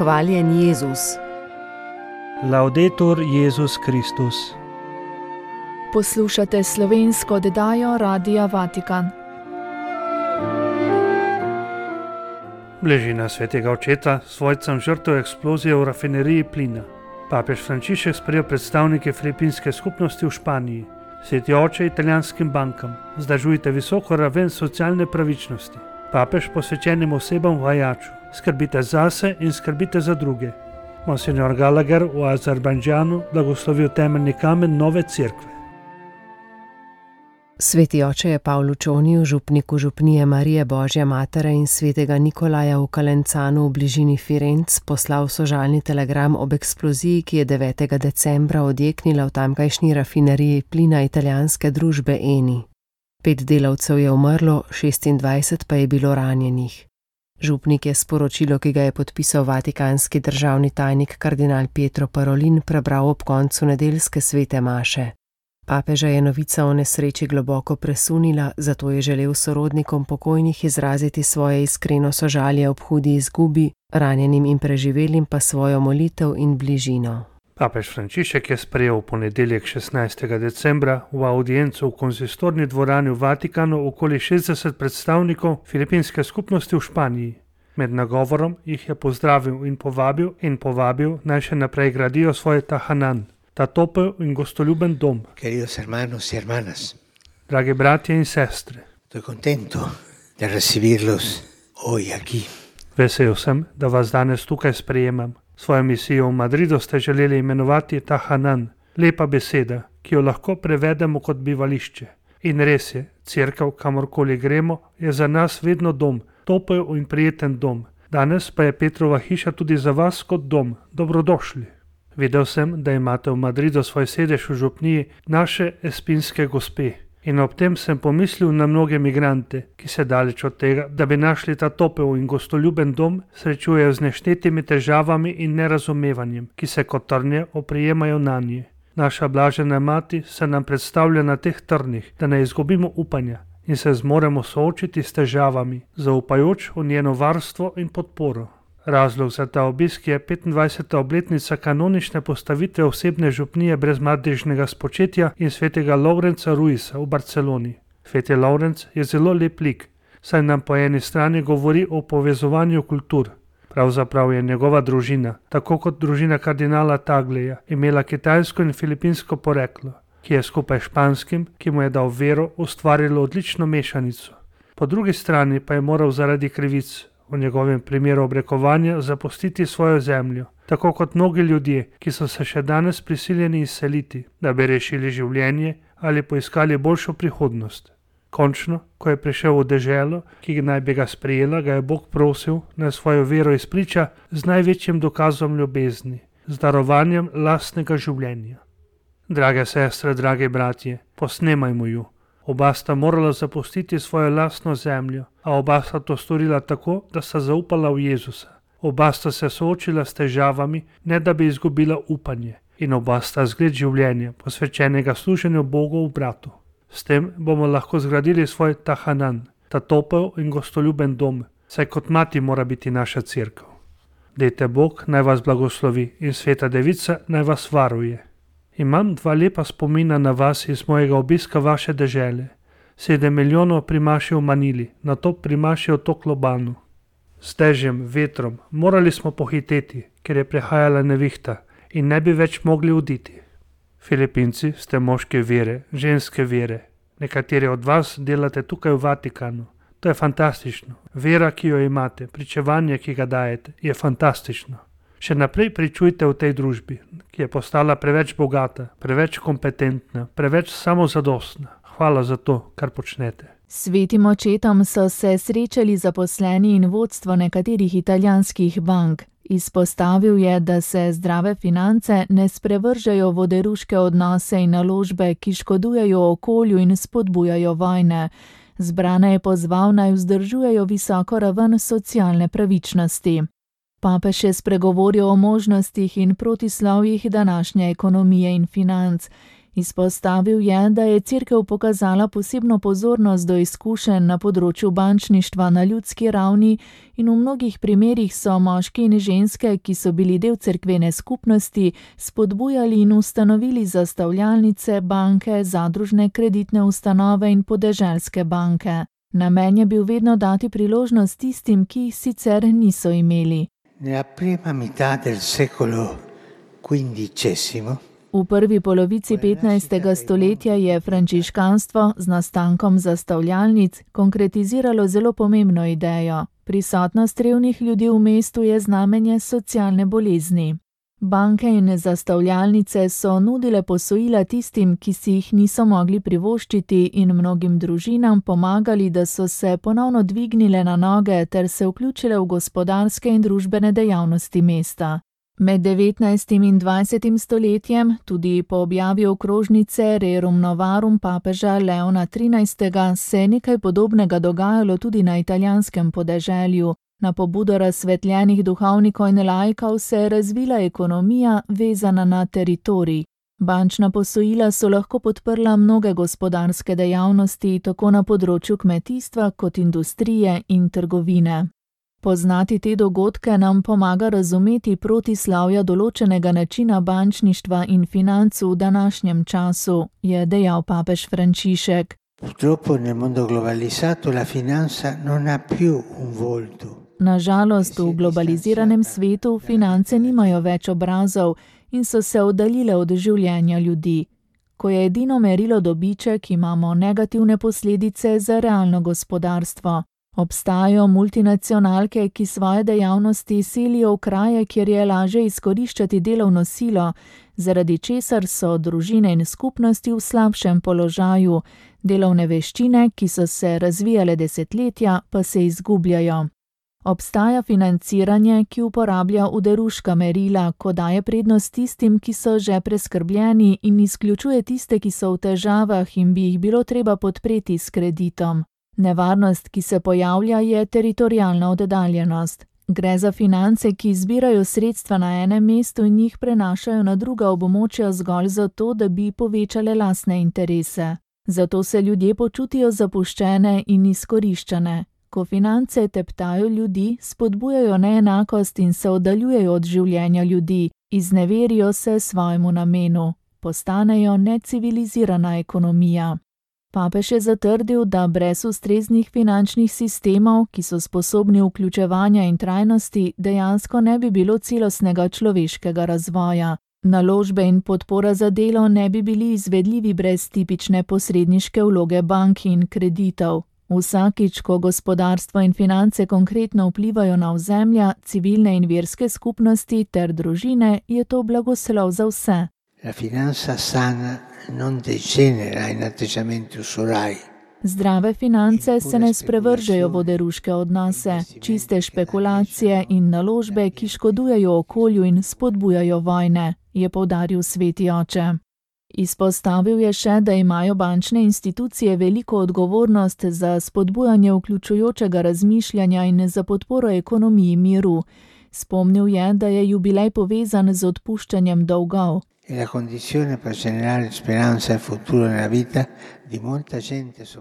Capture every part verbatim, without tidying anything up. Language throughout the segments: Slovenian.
Hvaljen Jezus. Laudetur Jezus Kristus. Poslušate slovensko oddajo Radia Vatikan. Bližina svetega očeta svojcem žrtev eksplozije v rafineriji plina. Papež Frančišek sprejel predstavnike filipinske skupnosti v Španiji. Sveti oče italijanskim bankam, vzdržujte visoko raven socialne pravičnosti. Papež posvečenim osebam v Hajaču, skrbite zase in skrbite za druge. Monsignor Gallagher v Azerbajdžanu blagoslovil temeljni kamen nove cerkve. Sveti oče je Pavlu Čoniju, župniku župnije Marije Božje Matere in svetega Nikolaja v Calenzanu v bližini Firenc poslal sožalni telegram ob eksploziji, ki je devetega decembra odjeknila v tamkajšnji rafineriji plina italijanske družbe Eni. Pet delavcev je umrlo, šestindvajset pa je bilo ranjenih. Župnik je sporočilo, ki ga je podpisal vatikanski državni tajnik kardinal Pietro Parolin, prebral ob koncu nedeljske svete maše. Papeža je novica o nesreči globoko presunila, zato je želel sorodnikom pokojnih izraziti svoje iskreno sožalje ob hudi izgubi, ranjenim in preživelim pa svojo molitev in bližino. Papež Frančišek je sprejel v ponedeljek šestnajstega decembra v audiencu v konzistorni dvorani v Vatikanu okoli šestdeset predstavnikov filipinske skupnosti v Španiji. Med nagovorom jih je pozdravil in povabil in povabil naj še naprej gradijo svoj tahanan, ta topel in gostoljuben dom. Queridos hermanos y hermanas, Dragi bratje in sestre, estoy contento de recibirlos hoy aquí. Vesel sem, da vas danes tukaj sprejemam. Svojo misijo v Madridu ste želeli imenovati tahanan, lepa beseda, ki jo lahko prevedemo kot bivališče. In res je, cerkev, kamorkoli gremo, je za nas vedno dom, topel in prijeten dom. Danes pa je Petrova hiša tudi za vas kot dom. Dobrodošli. Videl sem, da imate v Madridu svoj sedež v župniji naše espinske gospe. In ob tem sem pomislil na mnoge migrante, ki se daleč od tega, da bi našli ta topel in gostoljuben dom, srečujejo z neštetimi težavami in nerazumevanjem, ki se kot trnje oprijemajo nanje. Naša blažena mati se nam predstavlja na teh trnih, da ne izgubimo upanja in se zmoremo soočiti s težavami, zaupajoč v njeno varstvo in podporo. Razlog za ta obisk je petindvajseta obletnica kanonične postavitve osebne župnije brez madežnega spočetja in svetega Lovrenca Ruisa v Barceloni. Sveti Lovrenc je zelo lep lik, saj nam po eni strani govori o povezovanju kultur. Pravzaprav je njegova družina, tako kot družina kardinala Tagleja, imela kitajsko in filipinsko poreklo, ki je skupaj s španskim, ki mu je dal vero, ustvarilo odlično mešanico. Po drugi strani pa je moral zaradi krivic, v njegovem primeru obrekovanja, zapustiti svojo zemljo, tako kot mnogi ljudje, ki so se še danes prisiljeni izseliti, da bi rešili življenje ali poiskali boljšo prihodnost. Končno, ko je prišel v deželo, ki naj bi ga sprejela, ga je Bog prosil, naj svojo vero izpriča z največjim dokazom ljubezni, z darovanjem lastnega življenja. Drage sestre, dragi bratje, posnemajmo ju. Oba sta morala zapustiti svojo lastno zemljo, a oba sta to storila tako, da sta zaupala v Jezusa. Oba sta se soočila s težavami, ne da bi izgubila upanje, in oba sta zgled življenja, posvečenega služenju Bogu v bratu. S tem bomo lahko zgradili svoj tahanan, ta topel in gostoljuben dom, saj kot mati mora biti naša cerkev. Dejte Bog naj vas blagoslovi in sveta devica naj vas varuje. Imam dva lepa spomina na vas iz mojega obiska vaše dežele. Sedem milijonov pri maši v Manili, nato pri maši v Toklobanu. S dežjem, vetrom, morali smo pohiteti, ker je prehajala nevihta in ne bi več mogli oditi. Filipinci ste moške vere, ženske vere. Nekateri od vas delate tukaj v Vatikanu. To je fantastično. Vera, ki jo imate, pričevanje, ki ga dajete, je fantastično. Še naprej pričujte v tej družbi, ki je postala preveč bogata, preveč kompetentna, preveč samozadostna. Hvala za to, kar počnete. Svetim očetom so se srečali zaposleni in vodstvo nekaterih italijanskih bank. Izpostavil je, da se zdrave finance ne sprevržejo v oderuške odnose in naložbe, ki škodujejo okolju in spodbujajo vojne. Zbrane je pozval naj vzdržujejo visoko raven socialne pravičnosti. Papež je spregovoril o možnostih in protislovjih današnje ekonomije in financ. Izpostavil je, da je Cerkev pokazala posebno pozornost do izkušenj na področju bančništva na ljudski ravni in v mnogih primerih so moški in ženske, ki so bili del cerkvene skupnosti, spodbujali in ustanovili zastavljalnice, banke, zadružne kreditne ustanove in podeželske banke. Namen je bil vedno dati priložnost tistim, ki jih sicer niso imeli. Nella prima metà del secolo quindicesimo V prvi polovici petnajstega stoletja je frančiškanstvo z nastankom zastavljalnic konkretiziralo zelo pomembno idejo. Prisotnost revnih ljudi v mestu je znamenje socialne bolezni. Banke in zastavljalnice so nudile posojila tistim, ki si jih niso mogli privoščiti, in mnogim družinam pomagali, da so se ponovno dvignile na noge ter se vključile v gospodarske in družbene dejavnosti mesta. Med devetnajstim in dvajsetim stoletjem, tudi po objavi okrožnice Rerum Novarum papeža Leona trinajstega, se je nekaj podobnega dogajalo tudi na italijanskem podeželju. Na pobudo razsvetljenih duhovnikov in laikov se je razvila ekonomija, vezana na teritorij. Bančna posojila so lahko podprla mnoge gospodarske dejavnosti, tako na področju kmetijstva kot industrije in trgovine. Poznati te dogodke nam pomaga razumeti protislavja določenega načina bančništva in financ v današnjem času, je dejal papež Frančišek. Purtroppo nel mondo globalizzato la finanza non ha più un volto. Na žalost v globaliziranem svetu finance nimajo več obrazov in so se oddaljile od življenja ljudi. Ko je edino merilo dobiček, imamo negativne posledice za realno gospodarstvo. Obstajajo multinacionalke, ki svoje dejavnosti selijo v kraje, kjer je lažje izkoriščati delovno silo, zaradi česar so družine in skupnosti v slabšem položaju, delovne veščine, ki so se razvijale desetletja, pa se izgubljajo. Obstaja financiranje, ki uporablja oderuška merila, ko daje prednost tistim, ki so že preskrbljeni, in izključuje tiste, ki so v težavah in bi jih bilo treba podpreti s kreditom. Nevarnost, ki se pojavlja, je teritorialna oddaljenost. Gre za finance, ki zbirajo sredstva na enem mestu in jih prenašajo na druga območja zgolj zato, da bi povečale lastne interese. Zato se ljudje počutijo zapuščene in izkoriščane. Ko finance teptajo ljudi, spodbujajo neenakost in se oddaljujejo od življenja ljudi, izneverijo se svojemu namenu, postanejo necivilizirana ekonomija. Papež je zatrdil, da brez ustreznih finančnih sistemov, ki so sposobni vključevanja in trajnosti, dejansko ne bi bilo celostnega človeškega razvoja. Naložbe in podpora za delo ne bi bili izvedljivi brez tipične posredniške vloge bank in kreditov. Vsakič, ko gospodarstvo in finance konkretno vplivajo na ozemlja, civilne in verske skupnosti ter družine, je to blagoslov za vse. La finanza sana non degenera in atteggiamenti usurai. Zdrave finance se ne sprevržejo v oderuške odnose, čiste špekulacije in naložbe, ki škodujejo okolju in spodbujajo vojne, je poudaril sveti oče. Izpostavil je še, da imajo bančne institucije veliko odgovornost za spodbujanje vključujočega razmišljanja in za podporo ekonomiji miru. Spomnil je, da je jubilej povezan z odpuščanjem dolgov.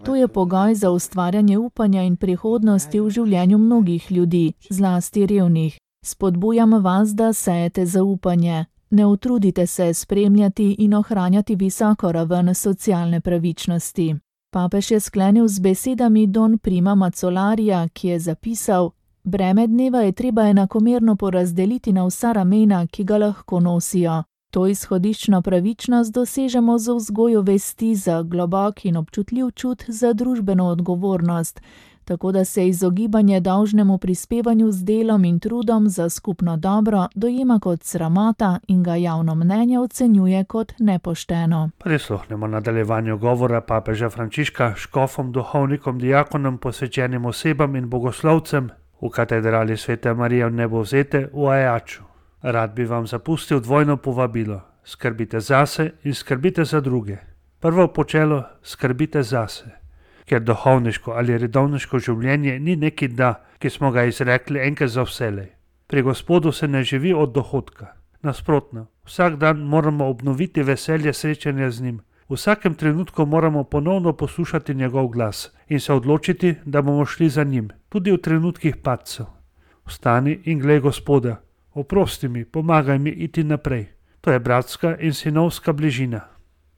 To je pogoj za ustvarjanje upanja in prihodnosti v življenju mnogih ljudi, zlasti revnih. Spodbujam vas, da sejete zaupanje. Ne utrudite se spremljati in ohranjati visoko raven socialne pravičnosti. Papež je sklenil z besedami Don Prima Mazzolarija, ki je zapisal: breme dneva je treba enakomerno porazdeliti na vsa ramena, ki ga lahko nosijo. To izhodiščno pravičnost dosežemo z vzgojo vesti za globok in občutljiv čut za družbeno odgovornost, tako da se izogibanje dolžnemu prispevanju z delom in trudom za skupno dobro dojema kot sramota in ga javno mnenje ocenjuje kot nepošteno. Prisluhnemo nadaljevanju govora papeža Frančiška škofom, duhovnikom, diakonom, posvečenim osebam in bogoslovcem v katedrali Svete Marije v Nebovzete v Ajaču. Rad bi vam zapustil dvojno povabilo. Skrbite zase in skrbite za druge. Prvo počelo, skrbite zase. Ker duhovniško ali redovniško življenje ni neki da, ki smo ga izrekli enkrat za vselej. Pri Gospodu se ne živi od dohodka. Nasprotno, Vsak dan moramo obnoviti veselje srečanja z njim. V vsakem trenutku moramo ponovno poslušati njegov glas in se odločiti, da bomo šli za njim, tudi v trenutkih padcev. Vstani in glej Gospoda, oprosti mi, pomagaj mi iti naprej. To je bratska in sinovska bližina.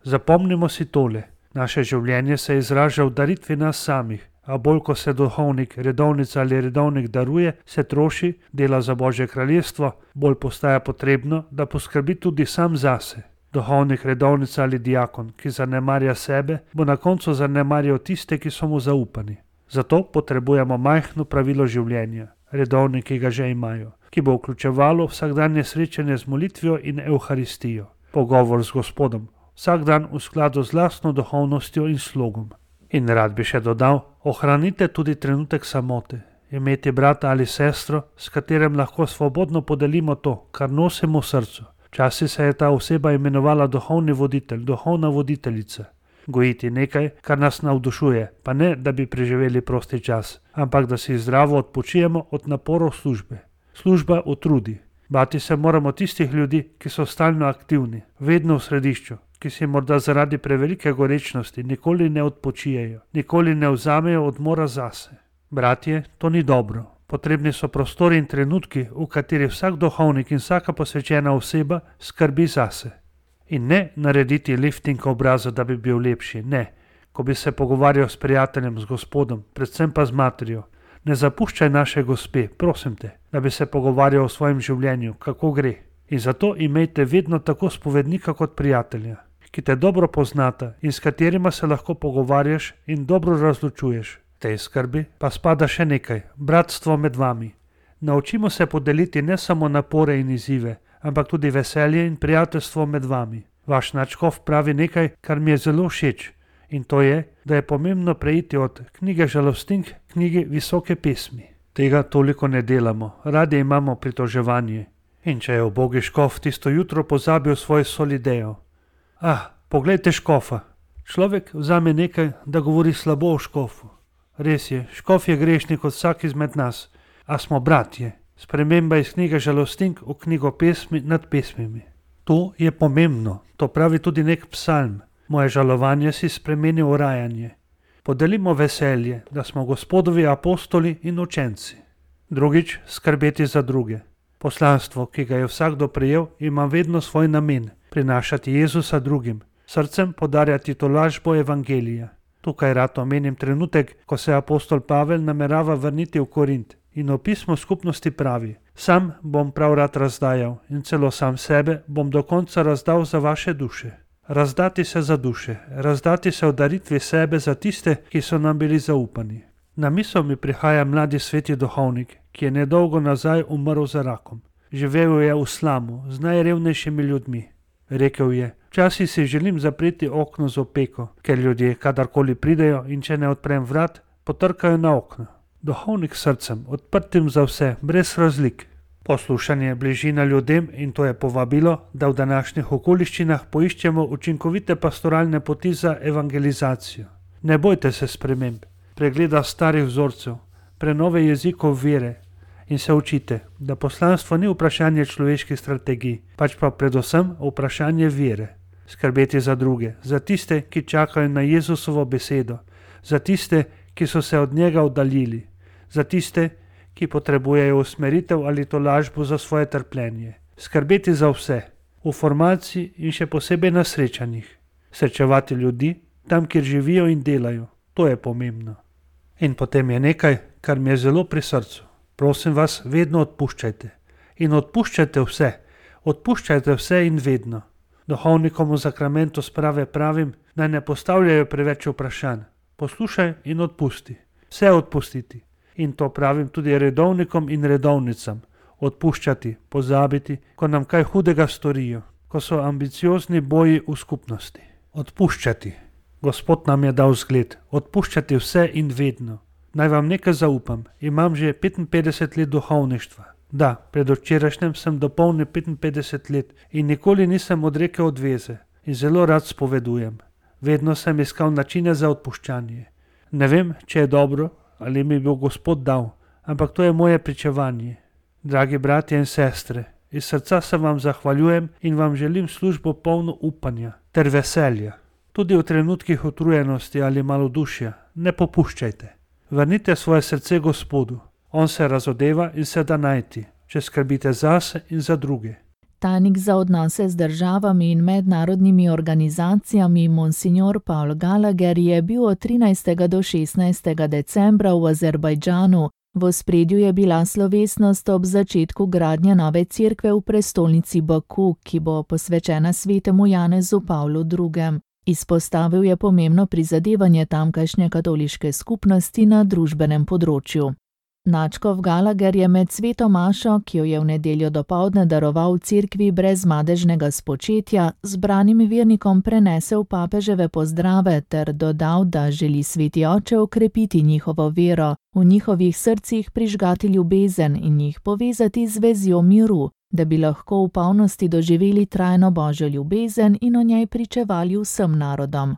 Zapomnimo si tole, naše življenje se izraža v daritvi nas samih, a bolj ko se duhovnik, redovnica ali redovnik daruje, se troši, dela za Božje kraljestvo, bolj postaja potrebno, da poskrbi tudi sam zase. Duhovnik, redovnica ali diakon, ki zanemarja sebe, bo na koncu zanemarjal tiste, ki so mu zaupani. Zato potrebujemo majhno pravilo življenja, redovnik, ki ga že imajo, ki bo vključevalo vsakdanje srečanje z molitvijo in evharistijo, pogovor z Gospodom, vsak dan v skladu z lastno duhovnostjo in slogom. In rad bi še dodal, ohranite tudi trenutek samote, imeti brata ali sestro, s katerim lahko svobodno podelimo to, kar nosimo v srcu. Včasih se je ta oseba imenovala duhovni voditelj, duhovna voditeljica. Gojiti nekaj, kar nas navdušuje, pa ne, da bi preživeli prosti čas, ampak da si zdravo odpočijemo od naporov službe. Služba utrudi. Bati se moramo tistih ljudi, ki so stalno aktivni, vedno v središču, ki si morda zaradi prevelike gorečnosti nikoli ne odpočijejo, nikoli ne vzamejo odmora zase. Bratje, to ni dobro. Potrebni so prostori in trenutki, v kateri vsak duhovnik in vsaka posvečena oseba skrbi zase. In ne narediti lifting obraza, da bi bil lepši, ne. Ko bi se pogovarjal s prijateljem, z Gospodom, predvsem pa z materjo, ne zapuščaj naše gospe, prosim te, da bi se pogovarjal o svojem življenju, kako gre. In zato imejte vedno tako spovednika kot prijatelja, ki te dobro poznata in s katerima se lahko pogovarjaš in dobro razločuješ. Tej skrbi pa spada še nekaj, bratstvo med vami. Naučimo se podeliti ne samo napore in izzive, ampak tudi veselje in prijateljstvo med vami. Vaš nadškof pravi nekaj, kar mi je zelo všeč, in to je, da je pomembno preiti od knjige žalostink k knjigi visoke pesmi. Tega toliko ne delamo, radi imamo pritoževanje. In če je ubogi škof tisto jutro pozabil svoj solidejo. Ah, poglejte škofa. Človek vzame nekaj, da govori slabo o škofu. Res je, škof je grešnik kot vsak izmed nas, a smo bratje. Sprememba iz knjige žalostink v knjigo pesmi nad pesmimi. To je pomembno, to pravi tudi nek psalm. Moje žalovanje si spremeni v rajanje. Podelimo veselje, da smo Gospodovi apostoli in učenci. Drugič, skrbeti za druge. Poslanstvo, ki ga je vsakdo prejel, ima vedno svoj namen, prinašati Jezusa drugim, srcem podarjati tolažbo evangelija. Tukaj rad omenim trenutek, ko se apostol Pavel namerava vrniti v Korint in v pismu skupnosti pravi: Sam bom prav rad razdajal in celo sam sebe bom do konca razdal za vaše duše. Razdati se za duše, razdati se v daritvi sebe za tiste, ki so nam bili zaupani. Na misel mi prihaja mladi sveti duhovnik, ki je nedolgo nazaj umrl za rakom. Živel je v slamu z najrevnejšimi ljudmi. Rekel je: Včasih si želim zapreti okno z opeko, ker ljudje, kadarkoli pridejo in če ne odprem vrat, potrkajo na okno. Duhovnik s srcem, odprtim za vse, brez razlik. Poslušanje, bližina ljudem in to je povabilo, da v današnjih okoliščinah poiščemo učinkovite pastoralne poti za evangelizacijo. Ne bojte se sprememb, pregleda starih vzorcev, prenove jezikov vere in se učite, da poslanstvo ni vprašanje človeških strategij, pač pa predvsem vprašanje vere. Skrbeti za druge, za tiste, ki čakajo na Jezusovo besedo, za tiste, ki so se od njega oddaljili, za tiste, ki potrebujejo usmeritev ali tolažbo za svoje trpljenje. Skrbeti za vse, v formaciji in še posebej na srečanjih. Srečevati ljudi tam, kjer živijo in delajo. To je pomembno. In potem je nekaj, kar mi je zelo pri srcu. Prosim vas, vedno odpuščajte. In odpuščajte vse. Odpuščajte vse in vedno. Duhovnikom v zakramentu sprave pravim, naj ne postavljajo preveč vprašanj. Poslušaj in odpusti. Vse odpustiti. In to pravim tudi redovnikom in redovnicam. Odpuščati, pozabiti, ko nam kaj hudega storijo, ko so ambiciozni boji v skupnosti. Odpuščati. Gospod nam je dal zgled. Odpuščati vse in vedno. Naj vam nekaj zaupam. Imam že petinpetdeset let duhovništva. Da, predvčerajšnjem sem dopolnil petinpetdeset let in nikoli nisem odrekel odveze. In zelo rad spovedujem. Vedno sem iskal načine za odpuščanje. Ne vem, če je dobro, ali mi bo Gospod dal, ampak to je moje pričevanje. Dragi bratje in sestre, Iz srca se vam zahvaljujem in vam želim službo polno upanja ter veselja. Tudi v trenutkih utrujenosti ali malodušja ne popuščajte. Vrnite svoje srce Gospodu. On se razodeva in se da najti, če skrbite zase in za druge. Tajnik za odnose z državami in mednarodnimi organizacijami Monsignor Paul Gallagher je bil od trinajstega do šestnajstega decembra v Azerbajdžanu. V ospredju je bila slovesnost ob začetku gradnje nove cerkve v prestolnici Baku, ki bo posvečena svetemu Janezu Pavlu drugemu. Izpostavil je pomembno prizadevanje tamkajšnje katoliške skupnosti na družbenem področju. Nadškof Gallagher je med sveto mašo, ki jo je v nedeljo dopoldne daroval v cerkvi brez madežnega spočetja, zbranim vernikom prenesel papeževe pozdrave ter dodal, da želi sveti oče okrepiti njihovo vero, v njihovih srcih prižgati ljubezen in jih povezati z vezjo miru, da bi lahko v polnosti doživeli trajno božjo ljubezen in o njej pričevali vsem narodom.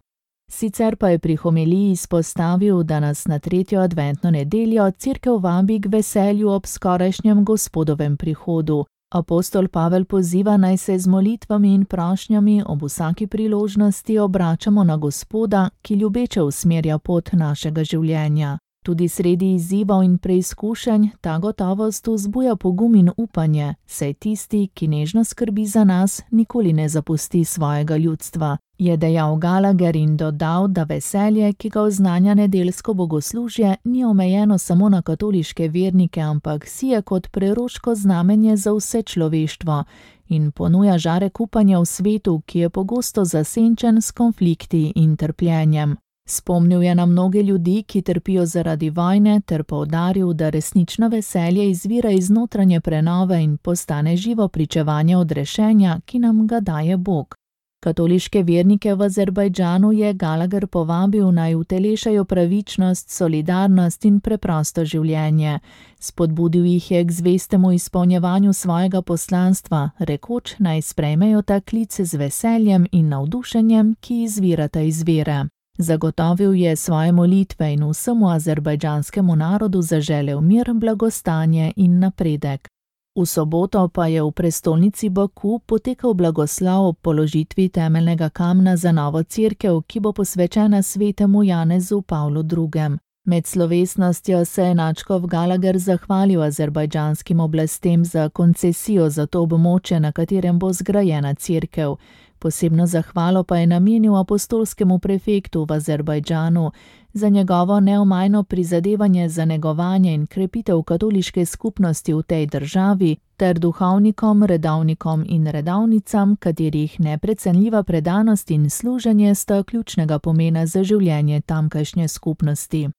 Sicer pa je pri homiliji izpostavil, da nas na tretjo adventno nedeljo cerkev vabi k veselju ob skorajšnjem Gospodovem prihodu. Apostol Pavel poziva, naj se z molitvami in prošnjami ob vsaki priložnosti obračamo na Gospoda, ki ljubeče usmerja pot našega življenja. Tudi sredi izzivov in preizkušenj ta gotovost vzbuja pogum in upanje, saj tisti, ki nežno skrbi za nas, nikoli ne zapusti svojega ljudstva, je dejal Gallagher in dodal, da veselje, ki ga oznanja nedeljsko bogoslužje, ni omejeno samo na katoliške vernike, ampak sije kot preroško znamenje za vse človeštvo in ponuja žarek upanja v svetu, ki je pogosto zasenčen s konflikti in trpljenjem. Spomnil je na mnoge ljudi, ki trpijo zaradi vojne, ter poudaril, da resnično veselje izvira iz notranje prenove in postane živo pričevanje odrešenja, ki nam ga daje Bog. Katoliške vernike v Azerbajdžanu je Gallagher povabil, naj utelešajo pravičnost, solidarnost in preprosto življenje. Spodbudil jih je k zvestemu izpolnjevanju svojega poslanstva, rekoč, naj sprejmejo ta klic z veseljem in navdušenjem, ki izvirata iz vere. Zagotovil je svoje molitve in vsemu azerbajdžanskemu narodu zaželel mir, blagostanje in napredek. V soboto pa je v prestolnici Baku potekal blagoslov ob položitvi temeljnega kamna za novo cerkev, ki bo posvečena svetemu Janezu Pavlu drugemu. Med slovesnostjo se je nadškof Gallagher zahvalil azerbajdžanskim oblastem za koncesijo za to območje, na katerem bo zgrajena cerkev. Posebno zahvalo pa je namenil apostolskemu prefektu v Azerbajdžanu za njegovo neomajno prizadevanje za negovanje in krepitev katoliške skupnosti v tej državi ter duhovnikom, redovnikom in redovnicam, katerih neprecenljiva predanost in služenje sta ključnega pomena za življenje tamkajšnje skupnosti.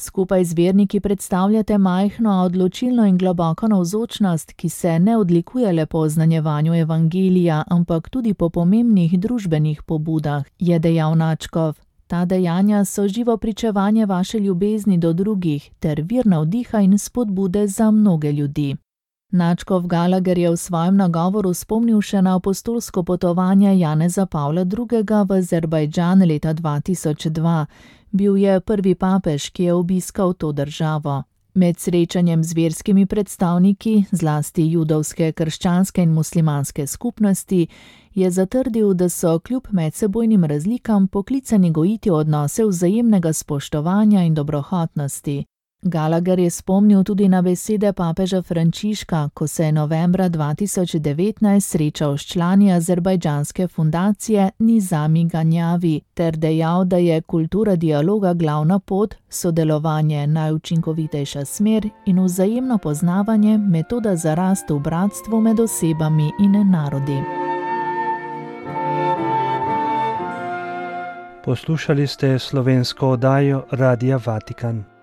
Skupaj z verniki predstavljate majhno, a odločilno in globoko navzočnost, ki se ne odlikuje le po oznanjevanju evangelija, ampak tudi po pomembnih družbenih pobudah, je dejal nadškof. Ta dejanja so živo pričevanje vaše ljubezni do drugih ter vir navdiha in spodbude za mnoge ljudi. Nadškof Gallagher je v svojem nagovoru spomnil še na apostolsko potovanje Janeza Pavla drugega v Azerbajdžan leta dva tisoč dva. Bil je prvi papež, ki je obiskal to državo. Med srečanjem z verskimi predstavniki, zlasti judovske, krščanske in muslimanske skupnosti, je zatrdil, da so kljub medsebojnim razlikam poklicani gojiti odnose vzajemnega spoštovanja in dobrohotnosti. Gallagher je spomnil tudi na besede papeža Frančiška, ko se je novembra dva tisoč devetnajst srečal s člani azerbajdžanske fundacije Nizami Ganjavi ter dejal, da je kultura dialoga glavna pot, sodelovanje najučinkovitejša smer in vzajemno poznavanje metoda za rast v bratstvu med osebami in narodi. Poslušali ste slovensko oddajo Radia Vatikan.